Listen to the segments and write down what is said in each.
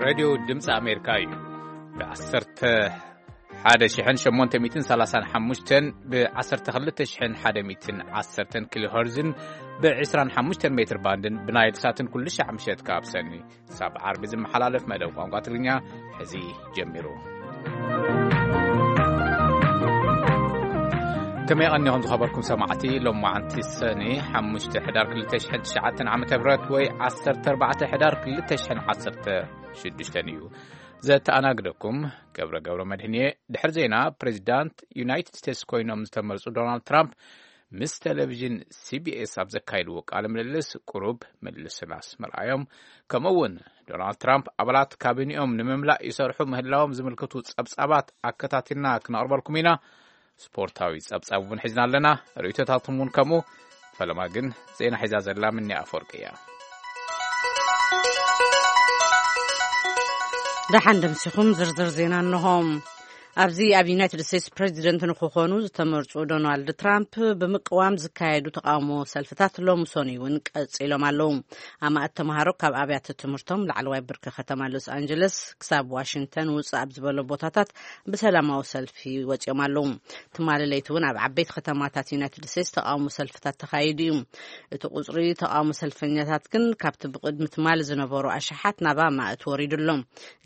ሬድዮ ድምፂ ኣሜሪካ እዩ። ብ11,835፣ ብ12,110 ኪሎ ሄርዝን ብ25 ሜትር ባንድን ብናይል ሳትን ኩሉ ሻዕ ምሸት ካብ ሰኒ ሳብ ዓርቢ ዝመሓላለፍ መደብ ቋንቋ ትግርኛ ሕዚ ጀሚሩ። ከመይ ቀኒኹም ዝኸበርኩም ሰማዕቲ? ሎማዓንቲ ሰኒ ሓሙሽተ ሕዳር ክልተ ሽሕን ትሽዓተን ዓመተ ምህረት ወይ ዓሰርተ ኣርባዕተ ሕዳር ክልተ ሽሕን ዓሰርተ ሽዱሽተን እዩ። ዘተኣናግደኩም ገብረ ገብረ መድህን እየ። ድሕሪ ዜና፣ ፕሬዚዳንት ዩናይትድ ስቴትስ ኮይኖም ዝተመርጹ ዶናልድ ትራምፕ ምስ ቴሌቪዥን ሲቢኤስ ኣብ ዘካይድዎ ቃለ ምልልስ፣ ቁሩብ ምልስላስ ምርኣዮም፣ ከምኡ እውን ዶናልድ ትራምፕ ኣባላት ካቢኒኦም ንምምላእ ይሰርሑ ምህላዎም ዝምልክቱ ጸብጻባት ኣከታቲልና ክነቕርበልኩም ኢና። ስፖርታዊ ጸብጻብ እውን ሒዝና ኣለና። ርእይቶታትኩም እውን ከምኡ። ፈለማ ግን ዜና ሒዛ ዘላ ምኒ ኣፈወርቂ እያ። ደሓን ደምሲኹም ዝርዝር ዜና እንሆ። ኣብዚ ኣብ ዩናይትድ ስቴትስ ፕሬዚደንት ንክኾኑ ዝተመርጹ ዶናልድ ትራምፕ ብምቅዋም ዝካየዱ ተቃውሞ ሰልፍታት ሎሚ ሰኑይ እውን ቀጺሎም ኣለዉ። ኣማእት ተምሃሮ ካብ ኣብያተ ትምህርቶም ላዕለዋይ ብርኪ ከተማ ሎስ ኣንጀለስ ክሳብ ዋሽንግተን ውጽእ ኣብ ዝበሎ ቦታታት ብሰላማዊ ሰልፊ ወጺኦም ኣለዉ። ትማሊ ለይቲ እውን ኣብ ዓበይቲ ከተማታት ዩናይትድ ስቴትስ ተቃውሞ ሰልፍታት ተኻይዱ እዩ። እቲ ቁጽሪ ተቃውሞ ሰልፈኛታት ግን ካብቲ ብቅድሚ ትማሊ ዝነበሩ ኣሽሓት ናብ ኣማእት ወሪዱ ኣሎ።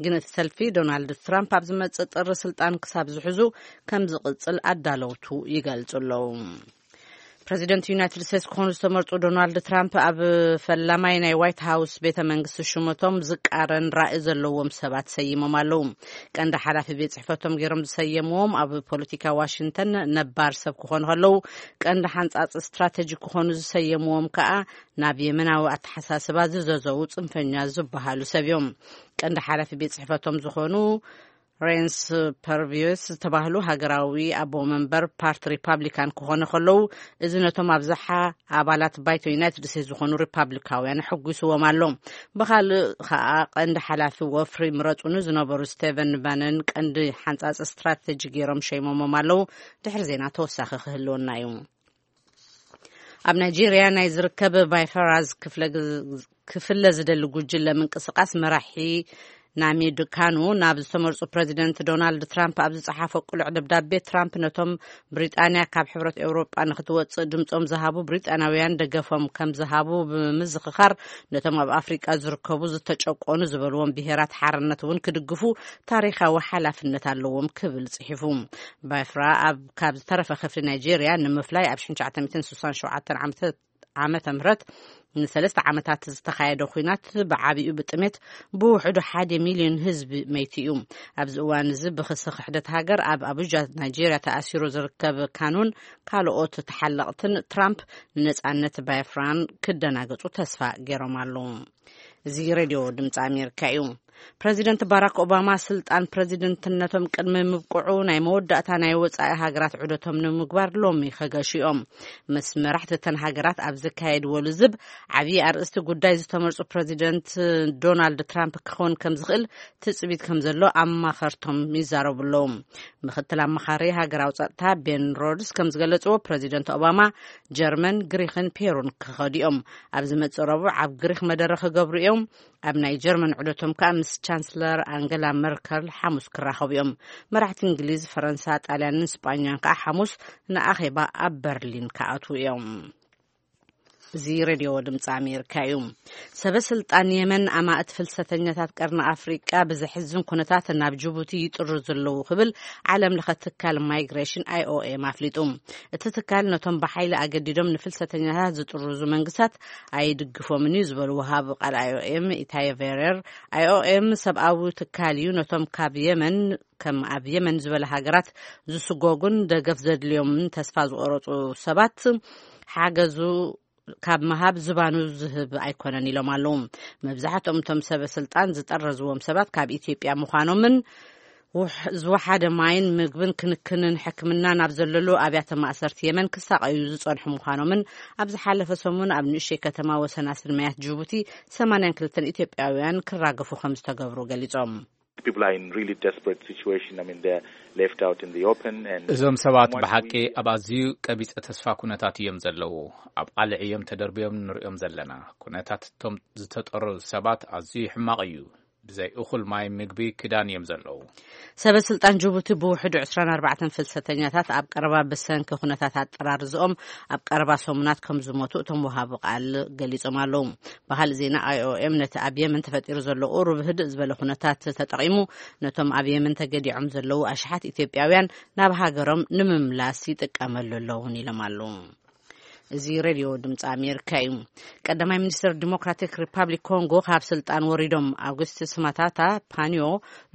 ግን እቲ ሰልፊ ዶናልድ ትራምፕ ኣብ ዝመጽእ ጥሪ ስልጣን ክሳብ ዝሕዙ ከም ዝቕጽል ኣዳለውቱ ይገልጹ ኣለዉ። ፕሬዚደንት ዩናይትድ ስቴትስ ክኾኑ ዝተመርጹ ዶናልድ ትራምፕ ኣብ ፈላማይ ናይ ዋይት ሃውስ ቤተ መንግስቲ ሹመቶም ዝቃረን ራእይ ዘለዎም ሰባት ሰይሞም ኣለዉ። ቀንዲ ሓላፊ ቤት ጽሕፈቶም ገይሮም ዝሰየምዎም ኣብ ፖለቲካ ዋሽንግተን ነባር ሰብ ክኾኑ ከለዉ፣ ቀንዲ ሓንጻጽ ስትራቴጂ ክኾኑ ዝሰየምዎም ከኣ ናብ የመናዊ ኣተሓሳስባ ዝዘዘዉ ጽንፈኛ ዝበሃሉ ሰብ እዮም። ቀንዲ ሓላፊ ቤት ጽሕፈቶም ዝኾኑ ሬንስ ፐርቪዮስ ዝተባህሉ ሃገራዊ ኣቦ መንበር ፓርቲ ሪፓብሊካን ክኾኑ ከለዉ፣ እዚ ነቶም ኣብዝሓ ኣባላት ባይቶ ዩናይትድ ስቴትስ ዝኾኑ ሪፓብሊካውያን ኣሐጒስዎም ኣሎ። ብኻልእ ኸኣ፣ ቀንዲ ሓላፊ ወፍሪ ምረጹኒ ዝነበሩ ስቴቨን ባነን ቀንዲ ሓንጻጽ ስትራቴጂ ገይሮም ሸይሞሞም ኣለዉ። ድሕሪ ዜና ተወሳኺ ክህልወና እዩ። ኣብ ናይጄርያ ናይ ዝርከብ ባይፈራዝ ክፍለ ግዝ-፣ ክፍለ ዝደሊ ጉጅለ ምንቅስቃስ መራሒ ናሚድ ካኑ ናብ ዝተመርጹ ፕሬዚደንት ዶናልድ ትራምፕ ኣብ ዝጸሓፎ ቅሉዕ ደብዳቤ፣ ትራምፕ ነቶም ብሪጣንያ ካብ ሕብረት ኤውሮጳ ንክትወጽእ ድምጾም ዝሃቡ ብሪጣንያውያን ደገፎም ከም ዝሃቡ ብምዝኽኻር፣ ነቶም ኣብ ኣፍሪቃ ዝርከቡ ዝተጨቆኑ ዝበልዎም ብሄራት ሓርነት እውን ክድግፉ ታሪኻዊ ሓላፍነት ኣለዎም ክብል ጽሒፉ። ባይፍራ ኣብ፣ ካብ ዝተረፈ ክፍሊ ናይጄርያ ንምፍላይ ኣብ ሽሕን ትሽዓተ ሚእትን ስሳን ሸውዓተን ዓመተ ዓመተ ምህረት ንሰለስተ ዓመታት ዝተኻየደ ኲናት ብዓቢኡ ብጥሜት ብውሕዱ ሓደ ሚልዮን ህዝቢ መይቱ እዩ። ኣብዚ እዋን እዚ ብክሲ ክሕደት ሃገር ኣብ ኣቡጃ ናይጄርያ ተኣሲሩ ዝርከብ ካኑን ካልኦት ተሓለቕትን ትራምፕ ንነጻነት ባይፍራን ክደናገጹ ተስፋ ገይሮም ኣለዉ። እዚ ሬድዮ ድምፂ ኣሜሪካ እዩ። ፕረዚደንት ባራክ ኦባማ ስልጣን ፕረዚደንትነቶም ቅድሚ ምብቅዑ ናይ መወዳእታ ናይ ወፃኢ ሃገራት ዑደቶም ንምግባር ሎሚ ከገሹ እዮም። ምስ መራሕቲ እተን ሃገራት ኣብ ዝካየድዎ ልዝብ ዓብዪ ኣርእስቲ ጉዳይ ዝተመርፁ ፕረዚደንት ዶናልድ ትራምፕ ክኸውን ከም ዝኽእል ትፅቢት ከም ዘሎ ኣማኸርቶም ይዛረቡ ኣለዉ። ምክትል ኣማኻሪ ሃገራዊ ፀጥታ ቤን ሮድስ ከም ዝገለፅዎ ፕረዚደንት ኦባማ ጀርመን፣ ግሪክን ፔሩን ክኸዱ እዮም። ኣብ ዝመፅእ ረቡዕ ኣብ ግሪክ መደረ ክገብሩ እዮም። ኣብ ናይ ጀርመን ዑደቶም ከኣ ምስ ቻንስለር ኣንገላ መርከል ሓሙስ ክራኸቡ እዮም። መራሕቲ እንግሊዝ፣ ፈረንሳ፣ ጣልያንን ስጳኛን ከኣ ሓሙስ ንኣኼባ ኣብ በርሊን ክኣትዉ እዮም። እዚ ሬድዮ ድምፂ ኣሜሪካ እዩ። ሰበ ስልጣን የመን ኣማእት ፍልሰተኛታት ቀርኒ ኣፍሪቃ ብዘሕዝን ኩነታት ናብ ጅቡቲ ይጥሩ ዘለዉ ክብል ዓለም ለኸ ትካል ማይግሬሽን ኣይኦኤም ኣፍሊጡ። እቲ ትካል ነቶም ብሓይሊ ኣገዲዶም ንፍልሰተኛታት ዝጥርዙ መንግስታት ኣይድግፎምን እዩ ዝበሉ ወሃቢ ቃል ኣይኦኤም ኢታይ ቬሬር፣ ኣይኦኤም ሰብኣዊ ትካል እዩ፣ ነቶም ካብ የመን ከም ኣብ የመን ዝበለ ሃገራት ዝስጎጉን ደገፍ ዘድልዮምን ተስፋ ዝቆረጹ ሰባት ሓገዙ ካብ ምሃብ ዝባኑ ዝህብ ኣይኮነን ኢሎም ኣለዉ። መብዛሕትኦም እቶም ሰበ ስልጣን ዝጠረዝዎም ሰባት ካብ ኢትዮጵያ ምዃኖምን ውሕ-፣ ዝወሓደ ማይን ምግብን ክንክንን ሕክምና ናብ ዘለሉ ኣብያተ ማእሰርቲ የመን ክሳቐዩ ዝጸንሑ ምዃኖምን ኣብ ዝሓለፈ ሰሙን ኣብ ንእሽተይ ከተማ ወሰናስን ማያት ጅቡቲ ሰማንያን ክልተን ኢትዮጵያውያን ክራገፉ ከም ዝተገብሩ ገሊጾም። People are in really desperate situation. I mean, they're left out in the open and እዞም ሰባት from what ብሓቂ we ኣብ ኣዝዩ ቀቢጸ ተስፋ ኩነታት እዮም ዘለዉ። ኣብ ቃልዕ እዮም ተደርብዮም ንሪኦም ዘለና። ኩነታት እቶም ዝተጠረዙ ሰባት ኣዝዩ ሕማቕ እዩ። ብዘይ እኹል ማይ፣ ምግቢ፣ ክዳን እዮም ዘለዉ። ሰበ ስልጣን ጅቡቲ ብውሕዱ ዕስራን ኣርባዕተን ፍልሰተኛታት ኣብ ቀረባ ብሰንኪ ኩነታት ኣጠራርዝኦም ኣብ ቀረባ ሰሙናት ከም ዝሞቱ እቶም ወሃቢ ቃል ገሊጾም ኣለዉ። ብኻልእ ዜና፣ ኣይኦኤም ነቲ ኣብ የመን ተፈጢሩ ዘሎ ቁሩብ ህድእ ዝበለ ኩነታት ተጠቒሙ፣ ነቶም ኣብ የመን ተገዲዖም ዘለዉ ኣሽሓት ኢትዮጵያውያን ናብ ሃገሮም ንምምላስ ይጥቀመሉ ኣለውን ኢሎም ኣለዉ። እዚ ሬድዮ ድምፂ ኣሜሪካ እዩ። ቀዳማይ ሚኒስትር ዲሞክራቲክ ሪፓብሊክ ኮንጎ ካብ ስልጣን ወሪዶም ኣውግስቲስ ማታታ ፓኒዮ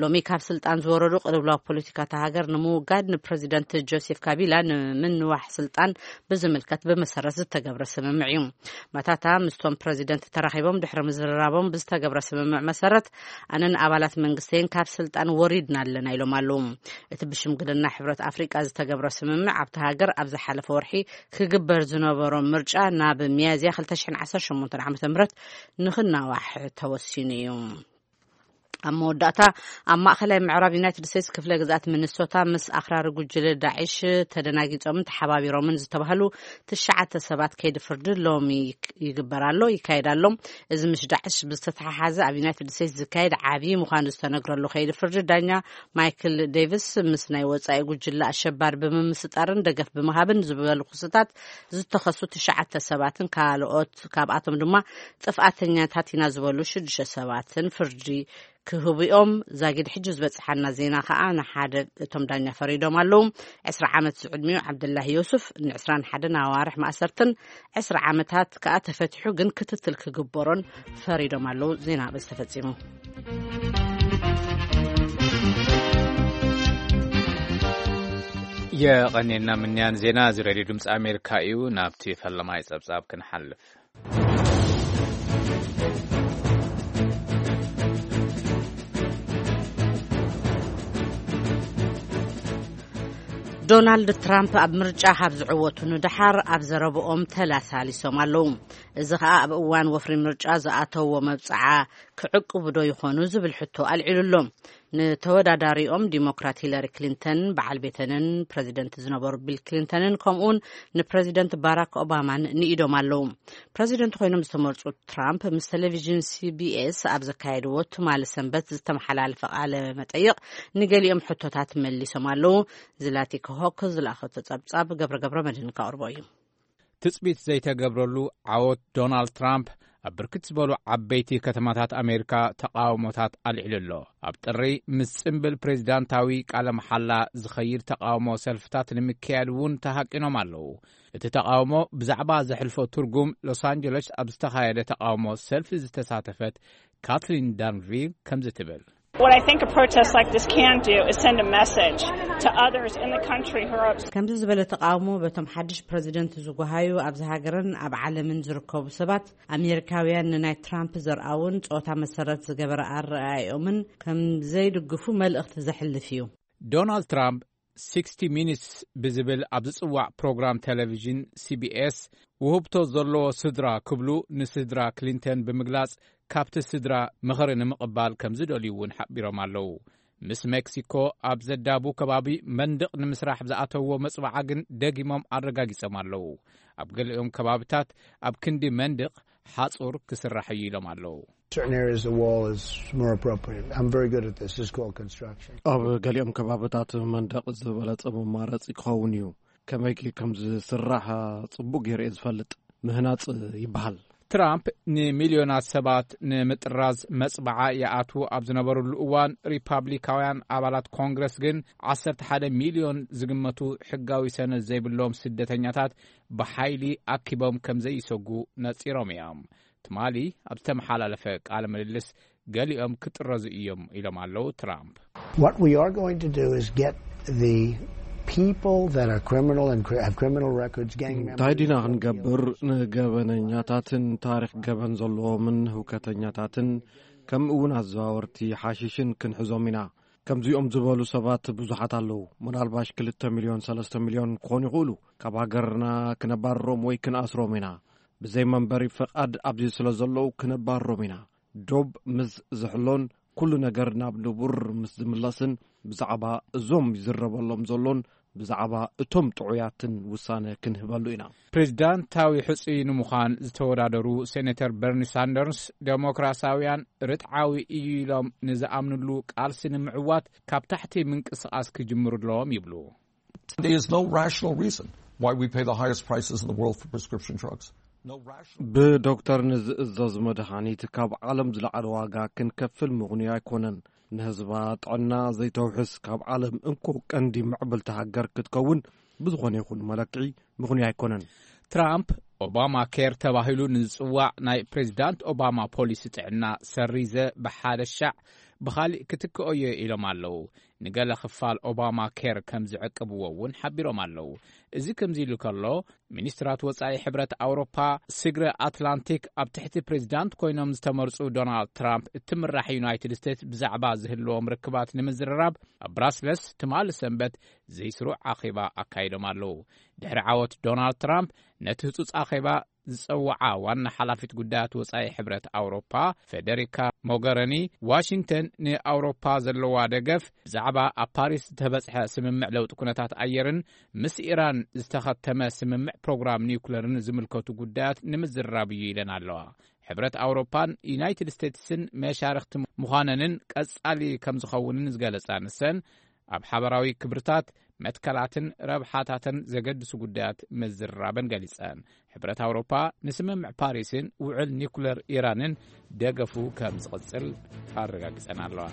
ሎሚ ካብ ስልጣን ዝወረዱ፣ ቅልውላው ፖለቲካ እታ ሃገር ንምውጋድ ንፕረዚደንት ጆሴፍ ካቢላ ንምንዋሕ ስልጣን ብዝምልከት ብመሰረት ዝተገብረ ስምምዕ እዩ። ማታታ ምስቶም ፕረዚደንት ተራኺቦም ድሕሪ ምዝርራቦም ብዝተገብረ ስምምዕ መሰረት፣ ኣነን ኣባላት መንግስተይን ካብ ስልጣን ወሪድና ኣለና ኢሎም ኣለዉ። እቲ ብሽምግልና ሕብረት ኣፍሪቃ ዝተገብረ ስምምዕ ኣብታ ሃገር ኣብ ዝሓለፈ ወርሒ ክግበር ዝነበሮ ምርጫ ናብ ሚያዝያ ክልተ ሽሕን ዓሰርተ ሸሞንተን ዓመተ ምህረት ንኽናዋሕ ተወሲኑ እዩ። ኣብ መወዳእታ፣ ኣብ ማእኸላይ ምዕራብ ዩናይትድ ስቴትስ ክፍለ ግዝኣት ሚኒሶታ ምስ ኣኽራሪ ጉጅለ ዳዕሽ ተደናጊጾምን ተሓባቢሮምን ዝተባህሉ ትሽዓተ ሰባት ከይዲ ፍርዲ ሎሚ ይክ-፣ ይግበር ኣሎ፣ ይካየድ ኣሎ። እዚ ምስ ዳዕሽ ብዝተተሓሓዘ ኣብ ዩናይትድ ስቴትስ ዝካየድ ዓብዪ ምዃኑ ዝተነግረሉ ከይዲ ፍርዲ፣ ዳኛ ማይክል ዴቪስ ምስ ናይ ወጻኢ ጉጅለ ኣሸባሪ ብምምስጣርን ደገፍ ብምሃብን ዝበሉ ክስታት ዝተኸሱ ትሽዓተ ሰባትን ካልኦት፣ ካብኣቶም ድማ ጥፍኣተኛታት ኢና ዝበሉ ሽዱሽተ ሰባትን ፍርዲ ክህቡ እዮም። ዛጊድ ሕጂ ዝበጽሓና ዜና ከኣ ንሓደ እቶም ዳኛ ፈሪዶም ኣለዉ። ዕስራ ዓመት ዝዕድሚኡ ዓብደላሂ ዮሱፍ ንዕስራን ሓደን ኣዋርሕ ማእሰርትን ዕስራ ዓመታት ከኣ ተፈቲሑ ግን ክትትል ክግበሮን ፈሪዶም ኣለዉ። ዜና በዚ ተፈጺሙ። የቐኔና ምንያን ዜና እዚ ሬድዮ ድምፂ ኣሜሪካ እዩ። ናብቲ ፈለማይ ጸብጻብ ክንሓልፍ። ዶናልድ ትራምፕ ኣብ ምርጫ ካብ ዝዕወቱ ንደሓር ኣብ ዘረብኦም ተላሳሊሶም ኣለዉ። እዚ ኸኣ ኣብ እዋን ወፍሪ ምርጫ ዝኣተዎ መብጽዓ ክዕቅቡ ዶ ይኾኑ ዝብል ሕቶ ኣልዒሉ ኣሎ። ንተወዳዳሪኦም ዲሞክራት ሂለሪ ክሊንተን፣ በዓል ቤተንን ፕረዚደንት ዝነበሩ ቢል ክሊንተንን፣ ከምኡውን ንፕረዚደንት ባራክ ኦባማን ንኢዶም ኣለዉ። ፕረዚደንት ኮይኖም ዝተመርጹ ትራምፕ ምስ ቴሌቪዥን ሲቢኤስ ኣብ ዘካየድዎ ትማሊ ሰንበት ዝተመሓላለፈ ቃለ መጠይቕ ንገሊኦም ሕቶታት መሊሶም ኣለዉ። ዝላቲካ ሆክ ዝለኣኸቶ ጸብጻብ ገብረ ገብረ መድህን ከቕርቦ እዩ። ትጽቢት ዘይተገብረሉ ዓወት ዶናልድ ትራምፕ ኣብ ብርክት ዝበሉ ዓበይቲ ከተማታት ኣሜሪካ ተቃውሞታት ኣልዒሉ ኣሎ። ኣብ ጥሪ ምስ ጽምብል ፕሬዚዳንታዊ ቃለ መሓላ ዝኸይድ ተቃውሞ ሰልፍታት ንምክያድ እውን ተሃቂኖም ኣለዉ። እቲ ተቃውሞ ብዛዕባ ዘሕልፎ ትርጉም ሎስ ኣንጀለስ ኣብ ዝተኻየደ ተቃውሞ ሰልፊ ዝተሳተፈት ካትሊን ዳንቪር ከምዚ ትብል። What I think a protest like this can do is send a message to others in the country who are ከምዚ ዝበለ ተቃውሞ በቶም ሓድሽ ፕረዚደንት ዝጓሃዩ ኣብዚ ሃገርን ኣብ ዓለምን ዝርከቡ ሰባት፣ ኣሜሪካውያን ንናይ ትራምፕ ዘርኣውን ጾታ መሰረት ዝገበረ ኣረኣእዮምን ከም ዘይድግፉ መልእኽቲ ዘሕልፍ እዩ። ዶናልድ ትራምፕ ሲክስቲ ሚኒትስ ብዝብል ኣብ ዝጽዋዕ ፕሮግራም ቴሌቪዥን ሲቢኤስ፣ ውህብቶ ዘለዎ ስድራ ክብሉ ንስድራ ክሊንተን ብምግላጽ፣ ካብቲ ስድራ ምኽሪ ንምቕባል ከም ዝደልዩ እውን ሓቢሮም ኣለዉ። ምስ ሜክሲኮ ኣብ ዘዳቡ ከባቢ መንድቕ ንምስራሕ ዝኣተውዎ መጽባዓ ግን ደጊሞም ኣረጋጊጾም ኣለዉ። ኣብ ገሊኦም ከባብታት ኣብ ክንዲ መንድቕ ሓጹር ክስራሕ እዩ ኢሎም ኣለዉ። Certain areas the wall is more appropriate. I'm very good at this. This is called construction. ኣብ ገሊኦም ከባብታት መንደቕ ዝበለጸ መማረጺ ክኸውን እዩ። ከመይ ከም ዝስራሕ ጽቡቕ ገይረ እየ ዝፈልጥ። ምህናጽ ይበሃል። ትራምፕ ንሚልዮናት ሰባት ንምጥራዝ መጽባዓ ይኣትዉ ኣብ ዝነበሩሉ እዋን፣ ሪፓብሊካውያን ኣባላት ኮንግረስ ግን ዓሰርተ ሓደ ሚልዮን ዝግመቱ ሕጋዊ ሰነድ ዘይብሎም ስደተኛታት ብሓይሊ ኣኪቦም ከም ዘይሰጉ ነጺሮም እዮም። ትማሊ ኣብ ዝተመሓላለፈ ቃለ ምልልስ፣ ገሊኦም ክጥረዙ እዮም ኢሎም ኣለዉ ትራምፕ። What we are going to do is get the people that are criminal and cri- have criminal records, gang members. እንታይ ዲና ክንገብር? ንገበነኛታትን ታሪኽ ገበን ዘለዎምን ህውከተኛታትን፣ ከምኡ እውን ኣዘዋወርቲ ሓሽሽን ክንሕዞም ኢና። ከምዚኦም ዝበሉ ሰባት ብዙሓት ኣለዉ። ምናልባሽ ክልተ ሚልዮን፣ ሰለስተ ሚልዮን ክኾኑ ይኽእሉ። ካብ ሃገርና ክነባርሮም ወይ ክንኣስሮም ኢና። ብዘይ መንበሪ ፈቓድ ኣብዚ ስለ ዘለዉ ክነባርሮም ኢና። ዶብ ምስ ዝሕሎን ኩሉ ነገር ናብ ንቡር ምስ ዝምለስን፣ ብዛዕባ እዞም ይዝረበሎም ዘሎን ብዛዕባ እቶም ጥዑያትን ውሳነ ክንህበሉ ኢና። ፕሬዚዳንታዊ ሕጹይ ንምዃን ዝተወዳደሩ ሴኔተር በርኒ ሳንደርስ፣ ዴሞክራሲያውያን ርትዓዊ እዩ ኢሎም ንዝኣምንሉ ቃልሲ ንምዕዋት ካብ ታሕቲ ምንቅስቓስ ክጅምሩ ኣለዎም ይብሉ። There is no rational reason why we pay the highest prices in the world for prescription drugs. No rational. ብዶክተር ንዝእዘዝ መድሃኒት ካብ ዓለም ዝለዓለ ዋጋ ክንከፍል ምኽንዩ ኣይኮነን። ንህዝባ ጥዕና ዘይተውሕስ ካብ ዓለም እንኮ ቀንዲ ምዕብልቲ ሃገር ክትከውን ብዝኾነ ይኹን መለክዒ ምኽንዩ ኣይኮነን። ትራምፕ ኦባማ ኬር ተባሂሉ ንዝጽዋዕ ናይ ፕሬዚዳንት ኦባማ ፖሊሲ ጥዕና ሰሪዘ ብሓደ ሻዕ ብኻሊእ ክትክኦዮ ኢሎም ኣለዉ። ንገለ ክፋል ኦባማ ኬር ከም ዝዕቅብዎ እውን ሓቢሮም ኣለዉ። እዚ ከምዚ ኢሉ ከሎ፣ ሚኒስትራት ወጻኢ ሕብረት ኣውሮፓ ስግረ ኣትላንቲክ ኣብ ትሕቲ ፕሬዚዳንት ኮይኖም ዝተመርጹ ዶናልድ ትራምፕ እትምራሕ ዩናይትድ ስቴትስ ብዛዕባ ዝህልዎም ርክባት ንምዝርራብ ኣብ ብራስለስ ትማሊ ሰንበት ዘይስሩዕ ኣኼባ ኣካይዶም ኣለዉ። ድሕሪ ዓወት ዶናልድ ትራምፕ ነቲ ህጹጽ ኣኼባ ዝጸውዓ ዋና ሓላፊት ጉዳያት ወጻኢ ሕብረት ኣውሮፓ ፌደሪካ ሞገረኒ፣ ዋሽንግተን ንኣውሮፓ ዘለዋ ደገፍ ብዛዕባ ኣብ ፓሪስ ዝተበጽሐ ስምምዕ ለውጢ ኩነታት ኣየርን ምስ ኢራን ዝተኸተመ ስምምዕ ፕሮግራም ኒውክለርን ዝምልከቱ ጉዳያት ንምዝርራብ እዩ ኢለን ኣለዋ። ሕብረት ኣውሮፓን ዩናይትድ ስቴትስን መሻርኽቲ ምዃነንን ቀጻሊ ከም ዝኸውንን ዝገለጻ ንሰን፣ ኣብ ሓበራዊ ክብርታት፣ መትከላትን ረብሓታትን ዘገድሱ ጉዳያት ምዝርራበን ገሊጸን። ሕብረት ኣውሮፓ ንስምምዕ ፓሪስን ውዕል ኒኩለር ኢራንን ደገፉ ከም ዝቕጽል ኣረጋጊጸን ኣለዋ።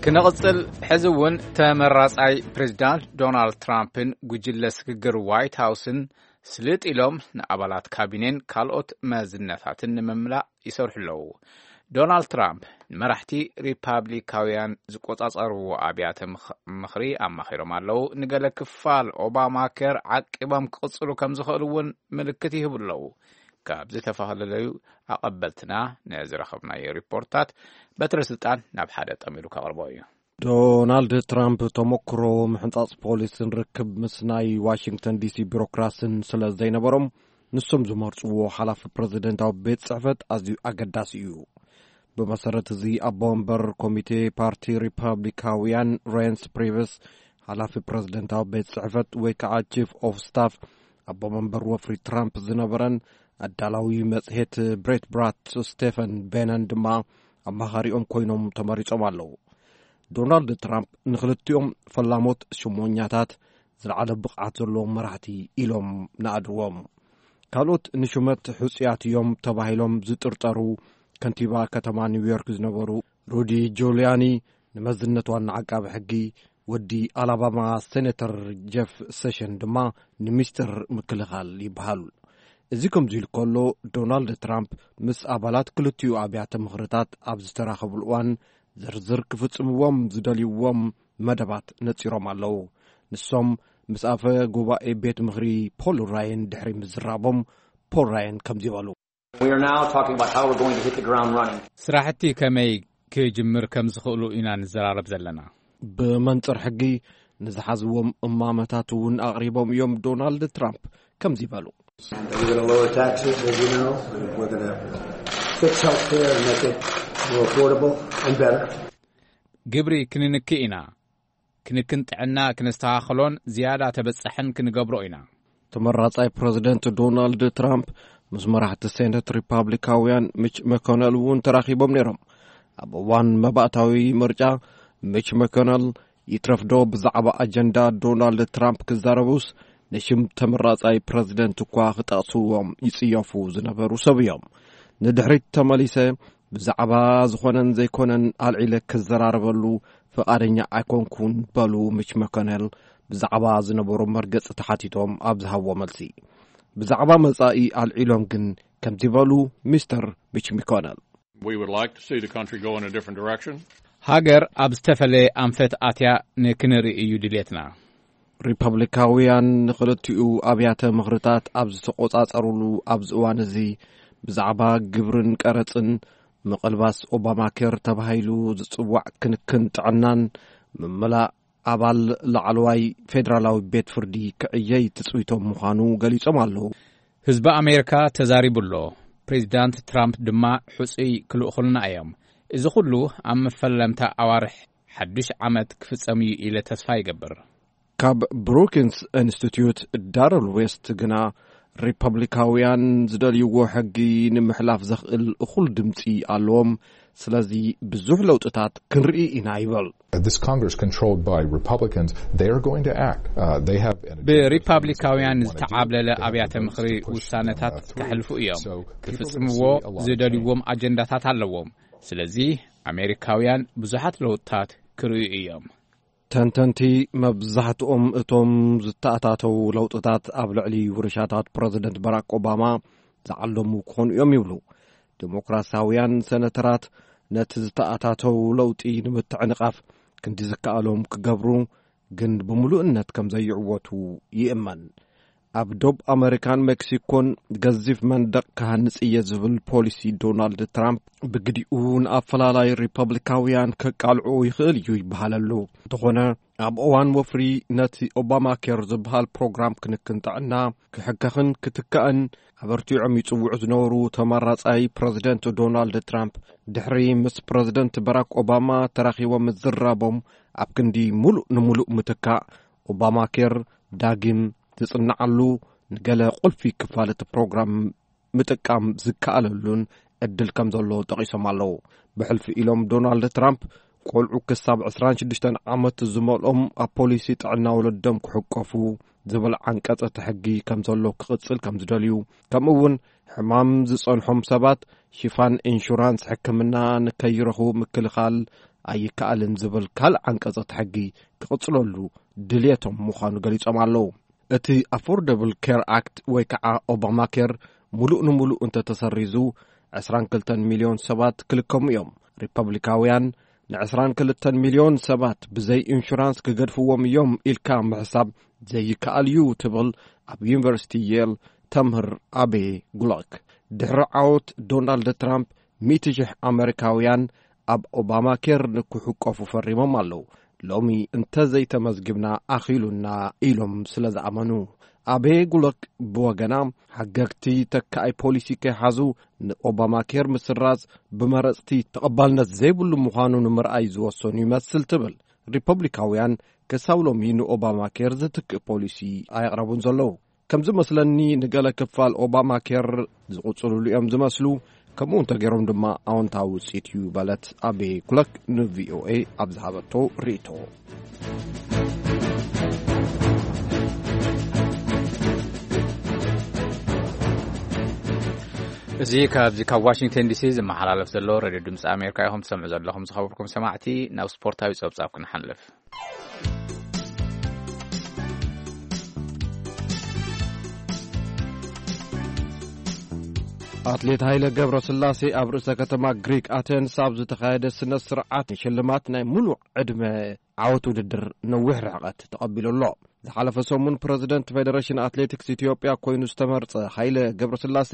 ክነቕጽል፣ ሕዚ እውን ተመራጻይ ፕሬዚዳንት ዶናልድ ትራምፕን ጉጅለ ስግግር ዋይት ሃውስን ስልጥ ኢሎም ንኣባላት ካቢኔን ካልኦት መዝነታትን ንምምላእ ይሰርሑ ኣለዉ። ዶናልድ ትራምፕ ንመራሕቲ ሪፓብሊካውያን ዝቆጻጸርዎ ኣብያተ ምኽ-፣ ምኽሪ ኣማኺሮም ኣለዉ። ንገለ ክፋል ኦባማ ኬር ዓቂቦም ክቕጽሉ ከም ዝኽእሉ እውን ምልክት ይህቡ ኣለዉ። ካብ ዝተፈላለዩ ኣቐበልትና ንዝረኸብናዮ ሪፖርታት በትረ ስልጣን ናብ ሓደ ጠሚሩ ከቕርቦ እዩ። ዶናልድ ትራምፕ ተመክሮ ምሕንጻጽ ፖሊስን ርክብ ምስ ናይ ዋሽንግተን ዲሲ ቢሮክራስን ስለ ዘይነበሮም፣ ንሶም ዝመርጽዎ ሓላፊ ፕረዚደንታዊ ቤት ጽሕፈት ኣዝዩ ኣገዳሲ እዩ። ብመሰረት እዚ፣ ኣቦ መንበር ኮሚቴ ፓርቲ ሪፓብሊካውያን ሬንስ ፕሪቨስ፣ ሓላፊ ፕረዚደንታዊ ቤት ጽሕፈት ወይ ከዓ ቺፍ ኦፍ ስታፍ፣ ኣቦ መንበር ወፍሪ ትራምፕ ዝነበረን ኣዳላዊ መጽሔት ብሬት ብራት ስቴፈን ቤነን ድማ ኣማኻሪኦም ኮይኖም ተመሪጾም ኣለዉ። ዶናልድ ትራምፕ ንኽልቲኦም ፈላሞት ሽሞኛታት ዝለዓለ ብቕዓት ዘለዎም መራሕቲ ኢሎም ንኣድዎም። ካልኦት ንሹመት ሕጹያት እዮም ተባሂሎም ዝጥርጠሩ ከንቲባ ከተማ ኒውዮርክ ዝነበሩ ሩዲ ጁልያኒ ንመዝነት ዋና ዓቃቢ ሕጊ፣ ወዲ ኣላባማ ሴኔተር ጀፍ ሴሽን ድማ ንሚኒስትር ምክልኻል ይበሃል። እዚ ከምዚ ኢሉ ከሎ፣ ዶናልድ ትራምፕ ምስ ኣባላት ክልቲኡ ኣብያተ ምኽርታት ኣብ ዝተራኸብሉ እዋን ዝርዝር ክፍጽምዎም ዝደልይዎም መደባት ነጺሮም ኣለዉ። ንሶም ምስ ኣፈ ጉባኤ ቤት ምኽሪ ፖል ራየን ድሕሪ ምዝራቦም፣ ፖል ራየን ከምዚ በሉ። We are now talking about how we're going to hit the ground running. ስራሕቲ ከመይ ክጅምር ከም ዝኽእሉ ኢና ንዘራረብ ዘለና። ብመንጽር ሕጊ ንዝሓዝዎም እማመታት እውን ኣቕሪቦም እዮም። ዶናልድ ትራምፕ ከምዚ በሉ። And we're going to lower taxes, as you know. We're going to fix health care and make it more affordable and better. ግብሪ ክንንክእ ኢና። ክንክን ጥዕና ክነስተኻኽሎን ዝያዳ ተበጻሕን ክንገብሮ ኢና። ተመራጻይ ፕረዚደንት ዶናልድ ትራምፕ ምስ መራሕቲ ሴኔት ሪፓብሊካውያን ሚች መኮነል እውን ተራኺቦም ነይሮም። ኣብ እዋን መባእታዊ ምርጫ፣ ሚች መኮነል ይትረፍዶ ብዛዕባ ኣጀንዳ ዶናልድ ትራምፕ ክዛረቡስ፣ ንሽም ተመራጻይ ፕረዚደንት እኳ ክጠቕስዎም ይጽየፉ ዝነበሩ ሰብ እዮም። ንድሕሪት ተመሊሰ ብዛዕባ ዝኾነን ዘይኮነን ኣልዒለ ክዘራረበሉ ፍቓደኛ ኣይኮንኩን በሉ ሚች መኮነል ብዛዕባ ዝነበሩ መርገጽ ተሓቲቶም ኣብ ዝሃብዎ መልሲ። ብዛዕባ መጻኢ ኣልዒሎም ግን ከምዚ በሉ ሚስተር ሚች መኮነል። We would like to see the country go in a different direction. ሃገር ኣብ ዝተፈለየ ኣንፈት ኣትያ ንክንርኢ እዩ ድሌትና። ሪፐብሊካውያን ንኽልቲኡ ኣብያተ ምኽርታት ኣብ ዝተቖጻጸሩሉ ኣብዚ እዋን እዚ፣ ብዛዕባ ግብርን ቀረጽን፣ ምቕልባስ ኦባማ ኬር ተባሂሉ ዝጽዋዕ ክንክን ጥዕናን ምምላእ ኣባል ላዕለዋይ ፌደራላዊ ቤት ፍርዲ ክዕየይ ትጽቢቶም ምዃኑ ገሊጾም ኣለዉ። ህዝቢ ኣሜሪካ ተዛሪቡ ኣሎ። ፕሬዚዳንት ትራምፕ ድማ ሕጹይ ክልእኹልና እዮም። እዚ ኩሉ ኣብ መፈለምታ ኣዋርሕ ሓዱሽ ዓመት ክፍጸም እዩ ኢለ ተስፋ ይገብር። ካብ ብሩኪንስ ኢንስቲትዩት ዳረል ዌስት ግና፣ ሪፐብሊካውያን ዝደልይዎ ሕጊ ንምሕላፍ ዘኽእል እኹል ድምጺ ኣለዎም። ስለዚ ብዙሕ ለውጥታት ክንርኢ ኢና ይብል። This Congress controlled by Republicans, they are going to act. Uh, they have an agenda. ብሪፓብሊካውያን ዝተዓብለለ ኣብያተ ምኽሪ ውሳነታት ከሕልፉ እዮም። ክፍጽምዎ ዝደልይዎም ኣጀንዳታት ኣለዎም። ስለዚ ኣሜሪካውያን ብዙሓት ለውጥታት ክርእዩ እዮም። ተንተንቲ፣ መብዛሕትኦም እቶም ዝተኣታተው ለውጥታት ኣብ ልዕሊ ውርሻታት ፕረዚደንት ባራክ ኦባማ ዝዓለሙ ክኾኑ እዮም ይብሉ። ዲሞክራሲያውያን ሰነተራት ነቲ ዝተኣታተው ለውጢ ንምትዕንቓፍ ክንዲ ዝከኣሎም ክገብሩ ግን ብምሉእነት ከም ዘይዕወቱ ይእመን። ኣብ ዶብ ኣመሪካን ሜክሲኮን ገዚፍ መንደቕ ክሃንጽ እየ ዝብል ፖሊሲ ዶናልድ ትራምፕ ብግዲኡ ንኣፈላላይ ሪፐብሊካውያን ከቃልዖ ይኽእል እዩ ይበሃለሉ። እንተኾነ ኣብ እዋን ወፍሪ ነቲ ኦባማ ኬር ዝበሃል ፕሮግራም ክንክን ጥዕና ክሕከኽን ክትካእን ኣበርቲዖም ይጽውዑ ዝነበሩ ተመራጻይ ፕረዚደንት ዶናልድ ትራምፕ፣ ድሕሪ ምስ ፕረዚደንት ባራክ ኦባማ ተራኺቦም ምዝራቦም፣ ኣብ ክንዲ ሙሉእ ንሙሉእ ምትካእ፣ ኦባማ ኬር ዳግም ዝጽንዓሉ፣ ንገለ ቁልፊ ክፋል እቲ ፕሮግራም ምጥቃም ዝከኣለሉን ዕድል ከም ዘሎ ጠቒሶም ኣለዉ። ብሕልፊ ኢሎም ዶናልድ ትራምፕ፣ ቆልዑ ክሳብ ዕስራን ሽዱሽተን ዓመት ዝመልኦም ኣብ ፖሊሲ ጥዕና ወለዶም ክሕቀፉ ዝብል ዓንቀጽ እቲ ሕጊ ከም ዘሎ ክቕጽል ከም ዝደልዩ፣ ከምኡ እውን ሕማም ዝጸንሖም ሰባት ሽፋን ኢንሹራንስ ሕክምና ንከይረኽቡ ምክልኻል ኣይከኣልን ዝብል ካልእ ዓንቀጽ እቲ ሕጊ ክቕጽለሉ ድልየቶም ምዃኑ ገሊጾም ኣለዉ። እቲ ኣፎርደብል ኬር ኣክት ወይ ከዓ ኦባማ ኬር ሙሉእ ንሙሉእ እንተተሰሪዙ፣ ዕስራን ክልተን ሚልዮን ሰባት ክልከሙ እዮም። ሪፐብሊካውያን ንዕስራን ክልተን ሚልዮን ሰባት ብዘይ ኢንሹራንስ ክገድፍዎም እዮም ኢልካ ምሕሳብ ዘይከኣል እዩ ትብል ኣብ ዩኒቨርሲቲ የል ተምህር ኣቤ ጉሎክ። ድሕሪ ዓወት ዶናልድ ትራምፕ፣ ሚእቲ ሺሕ ኣመሪካውያን ኣብ ኦባማ ኬር ንክሕቀፉ ፈሪሞም ኣለዉ። ሎሚ እንተዘይተመዝግብና ኣኺሉና ኢሎም ስለ ዝኣመኑ። ኣቤ ጉሎክ ብወገና፣ ሓገግቲ ተካኣይ ፖሊሲ ከይሓዙ ንኦባማ ኬር ምስራዝ ብመረጽቲ ተቐባልነት ዘይብሉ ምዃኑ ንምርኣይ ዝወሰኑ ይመስል ትብል። ሪፐብሊካውያን ክሳብ ሎሚ ንኦባማ ኬር ዝትክእ ፖሊሲ ኣየቕረቡን ዘለዉ። ከም ዝመስለኒ፣ ንገለ ክፋል ኦባማ ኬር ዝቕጽልሉ እዮም ዝመስሉ፣ ከምኡ እንተገይሮም ድማ ኣወንታዊ ውጽኢት እዩ በለት ኣቤ ጉሎክ ንቪኦኤ ኣብ ዝሃበቶ ርእይቶ። እዚ ካብዚ ካብ ዋሽንግተን ዲሲ ዝመሓላለፍ ዘሎ ሬድዮ ድምፂ ኣሜሪካ ኢኹም ትሰምዑ ዘለኹም። ዝኸበርኩም ሰማዕቲ፣ ናብ ስፖርታዊ ጸብጻብ ክንሓልፍ። ኣትሌት ሃይለ ገብረስላሴ ኣብ ርእሰ ከተማ ግሪክ ኣቴንስ ኣብ ዝተኻየደ ስነ ስርዓት ሽልማት ናይ ሙሉእ ዕድመ ዓወት ውድድር ነዊሕ ርሕቀት ተቐቢሉ ኣሎ። ዝሓለፈ ሰሙን ፕረዚደንት ፌደሬሽን ኣትሌቲክስ ኢትዮጵያ ኮይኑ ዝተመርጸ ሃይለ ገብረስላሴ፣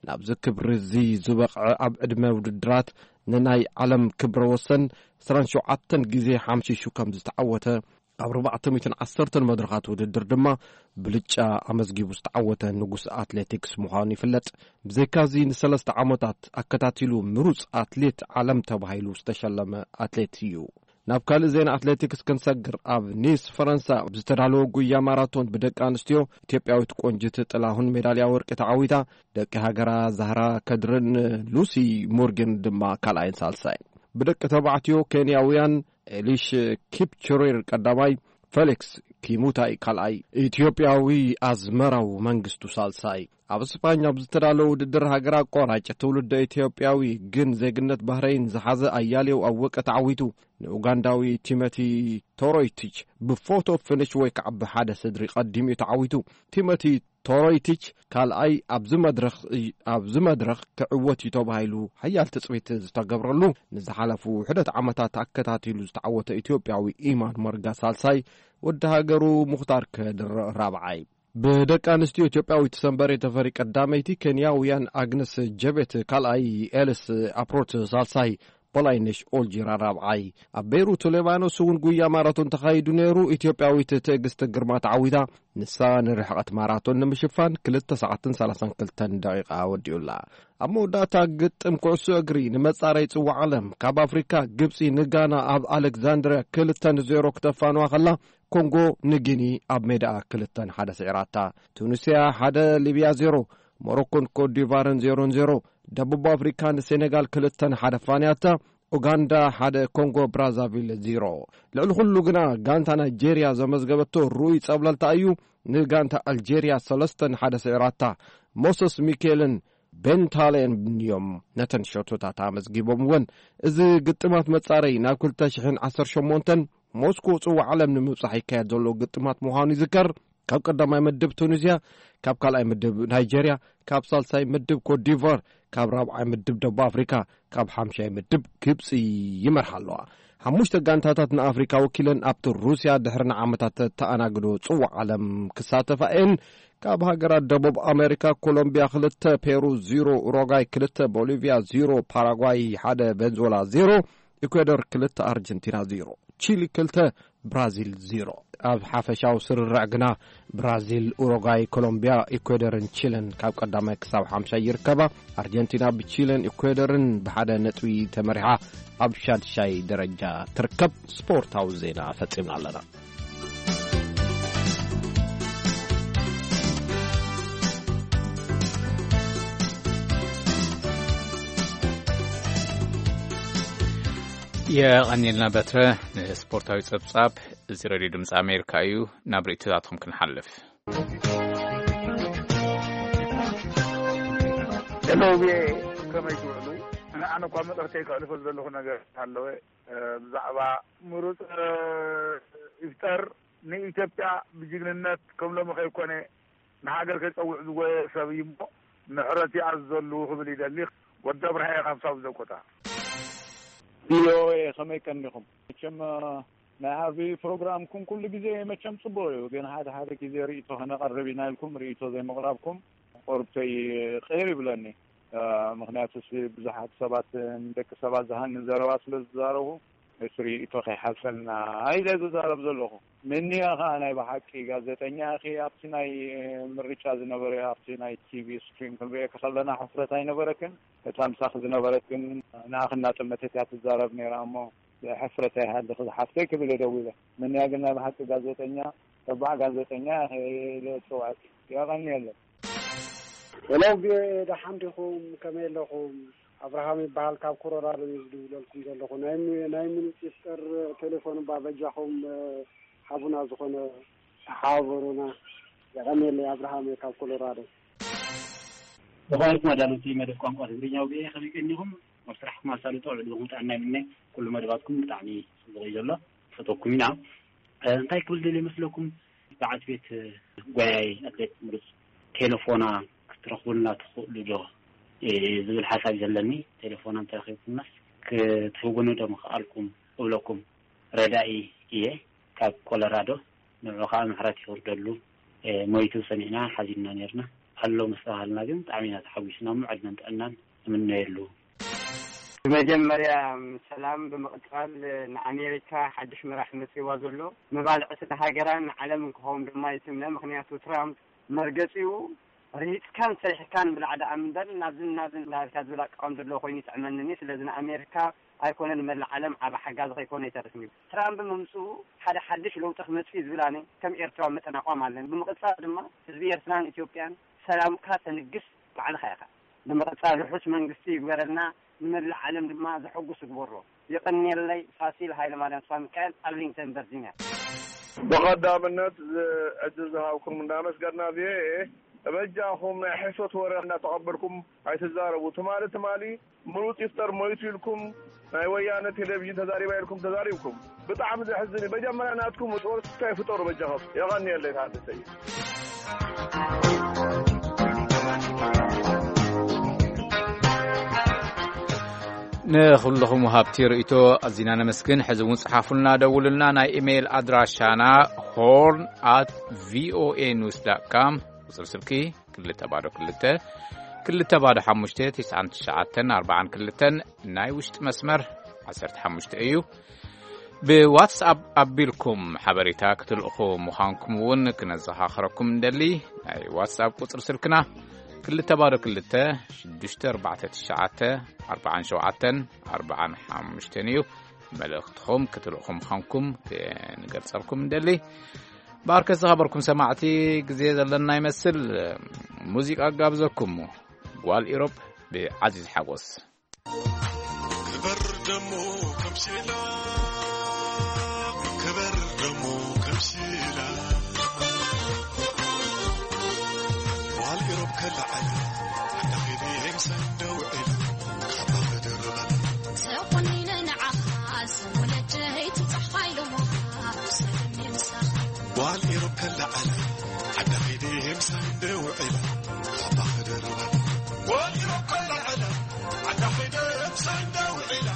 ናብዚ ክብሪ እዚ ዝበቕዐ ኣብ ዕድመ ውድድራት ንናይ ዓለም ክብረ ወሰን ዕስራን ሸውዓተን ግዜ ሓምሺሹ ከም ዝተዓወተ፣ ኣብ ኣርባዕተ ሚእትን ዓሰርተን መድረኻት ውድድር ድማ ብልጫ ኣመዝጊቡ ዝተዓወተ ንጉስ ኣትሌቲክስ ምዃኑ ይፍለጥ። ብዘይካዚ ንሰለስተ ዓመታት ኣከታቲሉ ምሩጽ ኣትሌት ዓለም ተባሂሉ ዝተሸለመ ኣትሌት እዩ። ናብ ካልእ ዜና ኣትሌቲክስ ክንሰግር፣ ኣብ ኒስ ፈረንሳ ብዝተዳለወ ጉያ ማራቶን ብደቂ ኣንስትዮ፣ ኢትዮጵያዊት ቆንጅት ጥላሁን ሜዳልያ ወርቂ ተዓዊታ። ደቂ ሃገራ ዛህራ ከድርን ሉሲ ሞርጌን ድማ ካልኣይን ሳልሳይን። ብደቂ ተባዕትዮ ኬንያውያን ኤሊሽ ኪፕቹሪር ቀዳማይ፣ ፌሊክስ ኪሙታይ ካልኣይ፣ ኢትዮጵያዊ ኣዝመራው መንግስቱ ሳልሳይ። ኣብ ስፓኛ ኣብ ዝተዳለወ ውድድር ሃገር ኣቋራጭ ትውልደ ኢትዮጵያዊ ግን ዜግነት ባህረይን ዝሓዘ ኣያሌው ኣወቀ ተዓዊቱ። ንኡጋንዳዊ ቲሞቲ ቶሮይቲች ብፎቶ ፊኒሽ ወይ ከዓ ብሓደ ስድሪ ቀዲሙ እዩ ተዓዊቱ። ቲሞቲ ቶሮይቲች ካልኣይ ኣብዚ መድረኽ እይ-፣ ኣብዚ መድረኽ ክዕወት እዩ ተባሂሉ ሓያል ትጽቢት ዝተገብረሉ፣ ንዝሓለፉ ውሕደት ዓመታት ኣከታቲሉ ዝተዓወተ ኢትዮጵያዊ ኢማን መርጋ ሳልሳይ፣ ወዲ ሃገሩ ሙኽታር ከድር ራብዓይ። ብደቂ ኣንስትዮ ኢትዮጵያዊት ሰንበሬ ተፈሪ ቀዳመይቲ፣ ኬንያውያን ኣግነስ ጀቤት ካልኣይ፣ ኤልስ ኣፕሮት ሳልሳይ፣ ፖላይነሽ ኦልጂራ ራብዓይ። ኣብ ቤይሩት ሌባኖስ እውን ጉያ ማራቶን ተኻይዱ ነይሩ። ኢትዮጵያዊት ትዕግስቲ ግርማ ተዓዊታ። ንሳ ንርሕቐት ማራቶን ንምሽፋን ክልተ ሰዓትን ሰላሳን ክልተን ደቂቓ ወዲኡላ። ኣብ መወዳእታ ግጥም ኩዕሶ እግሪ ንመጻረይ ጽዋዕ ዓለም ካብ ኣፍሪካ ግብጺ ንጋና ኣብ ኣሌክዛንድርያ ክልተ ንዜሮ ክተፋንዋ ከላ፣ ኮንጎ ንጊኒ ኣብ ሜዳኣ ክልተ ንሓደ ስዒራታ። ቱኒስያ ሓደ፣ ሊብያ ዜሮ፣ ሞሮኮን ኮትዲቫርን ዜሮ ንዜሮ፣ ደቡብ ኣፍሪካ ንሴኔጋል ክልተ ንሓደ ፋንያታ። ኡጋንዳ ሓደ፣ ኮንጎ ብራዛቪል ዜሮ። ልዕሊ ኩሉ ግና ጋንታ ናይጄርያ ዘመዝገበቶ ርኡይ ጸብለልታ እዩ። ንጋንታ ኣልጄርያ ሰለስተ ንሓደ ስዒራታ። ሞሰስ ሚኬልን ቤንታሌን እዮም ነተን ሸቶታት ኣመዝጊቦም እውን። እዚ ግጥማት መጻረይ ናብ ክልተ ሽሕን ዓሰርተ ሸሞንተን ሞስኮ ጽዋዕ ዓለም ንምብጻሕ ይካየድ ዘሎ ግጥማት ምዃኑ ይዝከር። ካብ ቀዳማይ ምድብ ቱኒዝያ፣ ካብ ካልኣይ ምድብ ናይጄርያ፣ ካብ ሳልሳይ ምድብ ኮትዲቫር፣ ካብ ራብዓይ ምድብ ደቡብ ኣፍሪካ፣ ካብ ሓምሻይ ምድብ ግብፂ ይመርሓ ኣለዋ። ሓሙሽተ ጋንታታት ንኣፍሪካ ወኪለን ኣብቲ ሩስያ ድሕሪ ንዓመታት ተኣናግዶ ጽዋዕ ዓለም ክሳተፋ እየን። ካብ ሃገራት ደቡብ ኣሜሪካ ኮሎምቢያ ክልተ፣ ፔሩ ዜሮ፣ ኡሩጓይ ክልተ፣ ቦሊቪያ ዜሮ፣ ፓራጓይ ሓደ፣ ቬንዙዌላ ዜሮ፣ ኢኳዶር ክልተ፣ ኣርጀንቲና ዜሮ፣ ቺሊ ክልተ፣ ብራዚል ዜሮ። ኣብ ሓፈሻዊ ስርርዕ ግና ብራዚል፣ ኡሩጓይ፣ ኮሎምቢያ፣ ኢኳዶርን ቺለን ካብ ቀዳማይ ክሳብ ሓምሻይ ይርከባ። ኣርጀንቲና ብቺለን ኢኳዶርን ብሓደ ነጥቢ ተመሪሓ ኣብ ሻድሻይ ደረጃ ትርከብ። ስፖርታዊ ዜና ፈጺምና ኣለና። የቐኒልና በትረ ንስፖርታዊ ጸብጻብ። እዚ ሬድዮ ድምፂ ኣሜሪካ እዩ። ናብ ርእይቶታትኩም ክንሓልፍ። ሄሎ፣ ቪኦኤ፣ ከመይ ትውዕሉ? ኣነ እኳ መልእኽተይ ከሕልፈሉ ዘለኹ ነገር ኣለወ። እ፣ ብዛዕባ ምሩፅ፣ እ፣ ይፍጠር ንኢትዮጵያ ብጅግንነት ከም ሎሚ ከይኮነ ንሃገር ከይፀውዕ ዝጎየ ሰብ እዩ እሞ ምሕረት ይኣዝዘሉ ክብል ይደሊ። ወዲ ኣብርሃ እየ ካብ ሳውዝ ዳኮታ። ቪኦኤ፣ ከመይ ቀኒኹም? መቸም፣ እ፣ ናይ ዓቢ ፕሮግራምኩም ኩሉ ግዜ መቸም ጽቡቕ እዩ፣ ግን ሓደ ሓደ ግዜ ርእይቶ ከነቐርብ ኢና ኢልኩም ርእይቶ ዘይምቕራብኩም ቁርብተይ ቅር ይብለኒ። እ፣ ምኽንያቱስ ብዙሓት ሰባት ንደቂ ሰባት ዝሃኒ ዘረባ ስለ ዝዛረቡ እቲ ርእይቶ ከይሓልፈልና ኢለ ዝዛረብ ዘለኹ። ምንያ ኸኣ ናይ ብሓቂ ጋዜጠኛ ኢኺ፣ ኣብቲ ናይ ምርጫ ዝነበረ ኣብቲ ናይ ቲቪ ስትሪም ክንርእየኪ ከለና ሕፍረት ኣይነበረክን? እታ ምሳኺ ዝነበረት ግን ንኣኺ እናጠመተት እያ ትዛረብ ነይራ እሞ ሕፍረት ኣይሃልኺ ዝሓፍተይ ክብል እየ ደዊለ። ምንያ ግን ናይ ብሓቂ ጋዜጠኛ፣ ተባዕ ጋዜጠኛ ኢለ ዝጽውዐኪ። የቐንየለይ። ሄሎ፣ ቪኦኤ፣ ደሓን ዲኹም? ከመይ ኣለኹም? ኣብርሃም ይበሃል፣ ካብ ኮሎራዶ እዩ ዝድውለልኩም ዘለኹ። ናይ ሚ-፣ ናይ ምሩፅ ይፍጠር ቴሌፎን እባ በጃኹም፣ እ፣ ሃቡና፣ ዝኾነ ተሓባበሩና። የቐንየለይ፣ ኣብርሃም እየ ካብ ኮሎራዶ። ዝኾነ ተመዳለውቲ መደብ ቋንቋ ትግርኛ ቪኦኤ፣ ከመይ ቀኒኹም? ኣብ ስራሕኩም ኣሳልጦ፣ ዕድመኹም ጥዕና ይምነ። ኩሉ መደባትኩም ብጣዕሚ ጽቡቕ እዩ ዘሎ፣ ፈተኩም ኢና። እ፣ እንታይ ክብል ደልየ መስለኩም? በዓልቲ ቤት፣ እ፣ ጓያይ ኣትሌት ምሩፅ ቴሌፎና ክትረኽቡልና ትኽእሉ ዶ? እ፣ ዝብል ሓሳብ እዩ ዘለኒ። ቴሌፎና እንተረኺብኩምናስ ክትህቡኒ ዶ ምኽኣልኩም እብለኩም። ረዳኢ እየ ካብ ኮሎራዶ። ንዑ ኸኣ ምሕረት ይውርደሉ። እ፣ ሞይቱ ሰሚዕና ሓዚንና ነይርና። ኣሎ ምስ ተባሃልና ግን ብጣዕሚ ኢና ተሓጒስና እሞ ዕድመን ጥዕናን ንምነየሉ። ብመጀመርያ ሰላም፣ ብምቕጻል ንኣሜሪካ ሓድሽ መራሒ መጺእዋ ዘሎ መባልዕቲ ንሃገራን ንዓለምን ክኸውን ድማ ይትምነ። ምኽንያቱ ትራምፕ መርገጺኡ ርሂጽካን ሰሪሕካን ብላዕ ደኣ እምበር ናብዝን ናብዝን እንዳበልካ ዝብል ኣቃውም ዘለዎ ኮይኑ ይጥዕመኒ። ስለዚ ንኣሜሪካ ኣይኮነን ንመላእ ዓለም ዓቢ ሓጋዚ ከይኮነ ኣይተርፍን እዩ። ትራምፕ ምምጽኡ ሓደ ሓድሽ ለውጢ ክመጽእ እዩ ዝብል ኣነ ከም ኤርትራዊ መጠን ኣቋም ኣለኒ። ብምቕጻል ድማ ህዝቢ ኤርትራን ኢትዮጵያን ሰላምካ ተንግስ ባዕልኻ ኢኻ። ብምቕጻል ርሑስ መንግስቲ ይግበረልና፣ ንመላእ ዓለም ድማ ዘሐጉስ ይግበሮ። የቐንየለይ። ፋሲል ሃይለማርያም ተስፋሚካኤል፣ ኣርሊንግተን ቨርጂኒያ። ብቐዳምነት እዚ ዕድል ዝሃብኩም እንዳመስገና፣ ቪኦኤ፣ በጃኹም ናይ ሕሶት ወረ እናተቐበልኩም ኣይትዛረቡ። ትማሊ ትማሊ ምሩፅ ይፍጠር ሞይቱ ኢልኩም ናይ ወያነ ቴሌቪዥን ተዛሪባ ኢልኩም ተዛሪብኩም። ብጣዕሚ ዘሕዝን እዩ። መጀመርያ ናትኩም ጦር ስታይ ፍጠሩ በጃኹም። የቐንየለይ ተሓተተይ። ንኹልኹም ወሃብቲ ርእይቶ ኣዚና ነመስግን። ሕዚ እውን ጽሓፉልና፣ ደውሉልና። ናይ ኢሜይል ኣድራሻና ሆርን ኣት ቪኦኤ ኒውስ ዳት ካም፣ ቁጽሪ ስልኪ ክልተ ባዶ ክልተ፣ ክልተ ባዶ ሓሙሽተ፣ ትስዓን ትሽዓተን ኣርባዓን ክልተን፣ ናይ ውሽጢ መስመር ዓሰርተ ሓሙሽተ እዩ። ብዋትስኣፕ ኣቢልኩም ሓበሬታ ክትልእኹ ምዃንኩም እውን ክነዘኻኽረኩም እንደሊ። ናይ ዋትስኣፕ ቁጽሪ ስልክና ክልተ ባዶ ክልተ ሽዱሽተ ኣርባዕተ ትሽዓተ ኣርባዓን ሸውዓተን ኣርባዓን ሓሙሽተን እዩ። መልእኽትኹም ክትልእኹ ምዃንኩም ክንገልጸልኩም እንደሊ። ባርከ ዝኸበርኩም ሰማዕቲ፣ ግዜ ዘለና ይመስል። ሙዚቃ ጋብዘኩም። ጓል ኢሮብ ብዓዚዝ ሓጎስ። ክበር ደሞ ከምሲላ፣ ክበር ደሞ ከምሲላ። ጓል ኢሮብ ከለዓለ፣ ዓዳ ኸይደ ምሳይ ደውዒላ፣ ካባ ክድርበላ። ተቆኒነ ንዓኻ፣ ስም ወለደይ ትብጻሕ ፋይሎሞ፣ ኣብ ሰለሚ ምሳኻ። ጓል ኢሮብ ከለዓለ፣ ዓዳ ኸይደ ምሳይ ደውዒላ፣ ካባ ክድርበላ። ጓል ኢሮብ ከለዓለ፣ ዓዳ ኸይደ ምሳይ ደውዒላ፣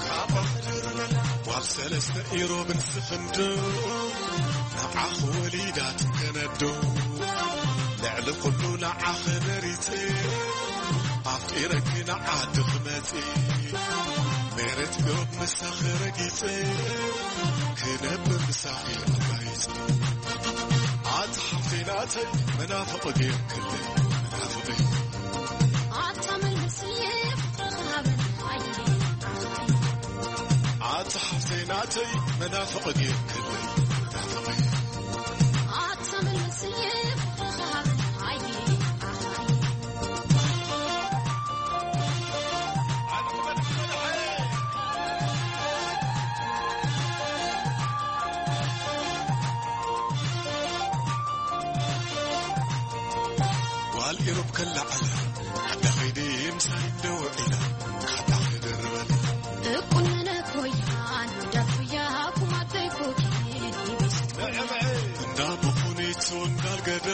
ካባ ክድርበላ። ጓል ሰለስተ ኢሮብን ስኽንዶ፣ ንዓኺ ወሊዳ ትከነዶ። ልዕሊ ኩሉ ንዓኺ መሪጸ፣ ኣፍቂረኪ ንዓዲ ክመጽእ። መሬት ኢሮብ ምሳኺ ረጊጸ፣ ክነብር ምሳኺ ኣጋይጸ። ኣቲ ሓፍተይ ናተይ መናፍቕ ጌርክለይ፣ መናፍቐይ። ኣታ መልስየ ፍቕርኻ ሃበኒ ኣየ ዓኽተይ። ኣታ ሓፍተይ ናተይ መናፍቕ ጌርክለይ፣ መናፍቐይ። ኣታ መልስየ ፍቕርኻ ሃበኒ ኣየ ዓኽተይ። ጓል ኢሮብ ከለዓላ፣ ዓዳ ኸይደ ምሳይ ደው ኢላ፣ ካባ ክድርበላ። እቁነነ ኮያን፣ ዳፉያ ኩማተይ ኮኪን፣ ይቢስት ኮያን። እንዳ ብኹኒቱ እንዳልገደ፣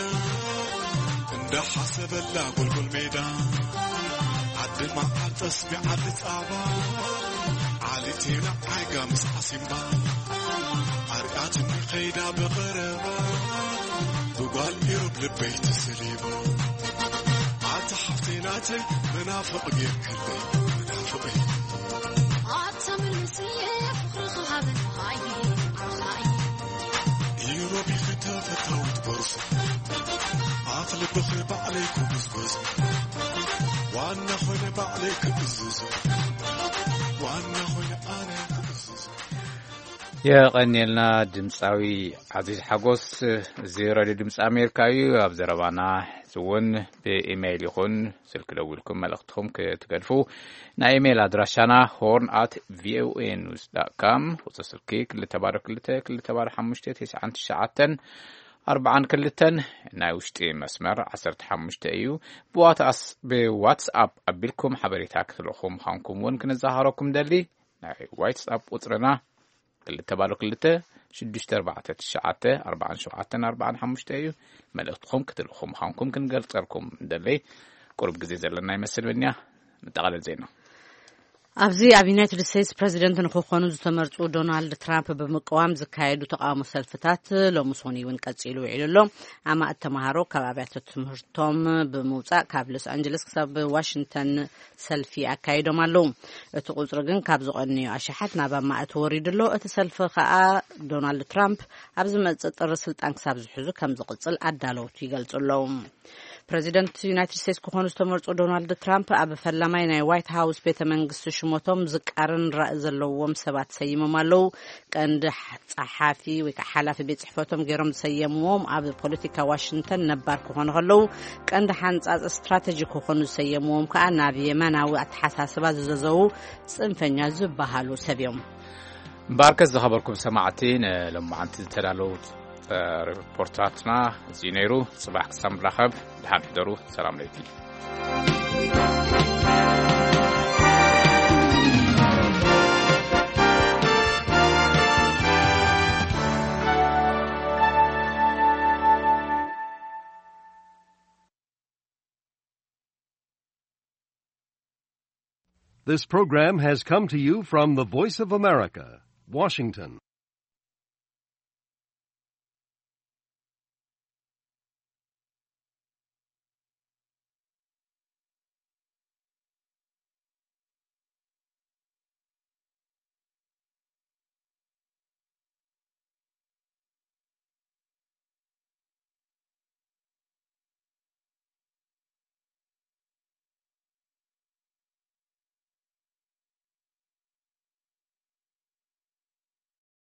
እንዳ ሓሰበላ ጎልጎል ሜዳ። ዓዲ መዓር ጠስሚ ዓዲ ጻባ፣ ዓሊቴና ዓይጋ ምስ ዓሲምባ። ኣርቃትኒ ኸይዳ ብቐረባ፣ ብጓል ኢሮብ ልበይ ተሰሊባ። ኣታ ሓፍተይ ናተይ መናፍቕ ጌርክለይ፣ መናፍቐይ። ኣታ መልስየ ፍቕርኻ ሃበኒ ኣየ ዓኻይ። ኢሮብ ኢኺ ተፈታዊት ጎርዞ፣ ኣፍ ልብኺ ባዕለይ ክጉዝጎዞ። ዋና ኾይነ ባዕለይ ክእዝዞ፣ ዋና ኾይነ ኣነ ክእዝዞ። የቐንየልና ድምፃዊ ዓዚዝ ሓጎስ። እዚ ሬድዮ ድምፂ ኣሜሪካ እዩ። ኣብ ዘረባና እውን ብኢሜይል ይኹን ስልኪ ደዊልኩም መልእኽትኹም ክትገድፉ፣ ናይ ኢሜይል ኣድራሻና ሆርን ኣት ቪኦኤ ኒውስ ዳት ካም፣ ቁፅሪ ስልኪ ክልተ ባዶ ክልተ ክልተ ባዶ ሓሙሽተ ተስዓን ትሽዓተን ኣርባዓን ክልተን፣ ናይ ውሽጢ መስመር ዓሰርተ ሓሙሽተ እዩ። ብዋትስ-፣ ብዋትስኣፕ ኣቢልኩም ሓበሬታ ክትልእኹ ምዃንኩም እውን ክንዘኻረኩም ደሊ። ናይ ዋትስኣፕ ቁፅርና ክልተ ባዶ ክልተ ሽዱሽተ ኣርባዕተ ትሽዓተ ኣርባዓን ሸውዓተን ኣርባዓን ሓሙሽተ እዩ። መልእኽትኹም ክትልእኹ ምዃንኩም ክንገልጸልኩም እንደለይ። ቁሩብ ግዜ ዘለና ይመስል። ብንያ፣ መጠቓለል ዜና። ኣብዚ ኣብ ዩናይትድ ስቴትስ ፕረዚደንት ንክኾኑ ዝተመርጹ ዶናልድ ትራምፕ ብምቅዋም ዝካየዱ ተቃውሞ ሰልፍታት ሎሚ ሰኑይ እውን ቀጺሉ ውዒሉ ኣሎ። ኣማእት ተምሃሮ ካብ ኣብያተ ትምህርቶም ብምውጻእ ካብ ሎስ ኣንጀለስ ክሳብ ዋሽንግተን ሰልፊ ኣካይዶም ኣለዉ። እቲ ቁጽሪ ግን ካብ ዝቐንዩ ኣሽሓት ናብ ኣማእት ወሪዱ ኣሎ። እቲ ሰልፊ ከኣ ዶናልድ ትራምፕ ኣብ ዝመጽእ ጥሪ ስልጣን ክሳብ ዝሕዙ ከም ዝቕጽል ኣዳለውቱ ይገልጹ ኣለዉ። ፕረዚደንት ዩናይትድ ስቴትስ ክኾኑ ዝተመርጹ ዶናልድ ትራምፕ ኣብ ፈላማይ ናይ ዋይት ሃውስ ቤተ መንግስቲ ሽሞቶም ዝቃረን ራኢ ዘለዎም ሰባት ሰይሞም ኣለዉ። ቀንዲ ጸሓፊ ወይ ከዓ ሓላፊ ቤት ጽሕፈቶም ገይሮም ዝሰየምዎም ኣብ ፖለቲካ ዋሽንግተን ነባር ክኾኑ ከለዉ፣ ቀንዲ ሓንጻጽ ስትራተጂ ክኾኑ ዝሰየምዎም ከዓ ናብ የማናዊ ኣተሓሳስባ ዝዘዘዉ ጽንፈኛ ዝበሃሉ ሰብ እዮም። እምበኣርከስ ዝኸበርኩም ሰማዕቲ፣ ንሎማዓንቲ ዝተዳለዉ ሪፖርታትና እዚ ነይሩ። ጽባሕ ክሳብ ንራኸብ፣ ደሓን ሕደሩ። ሰላም ለይቲ። This program has come to you from the Voice of America, Washington.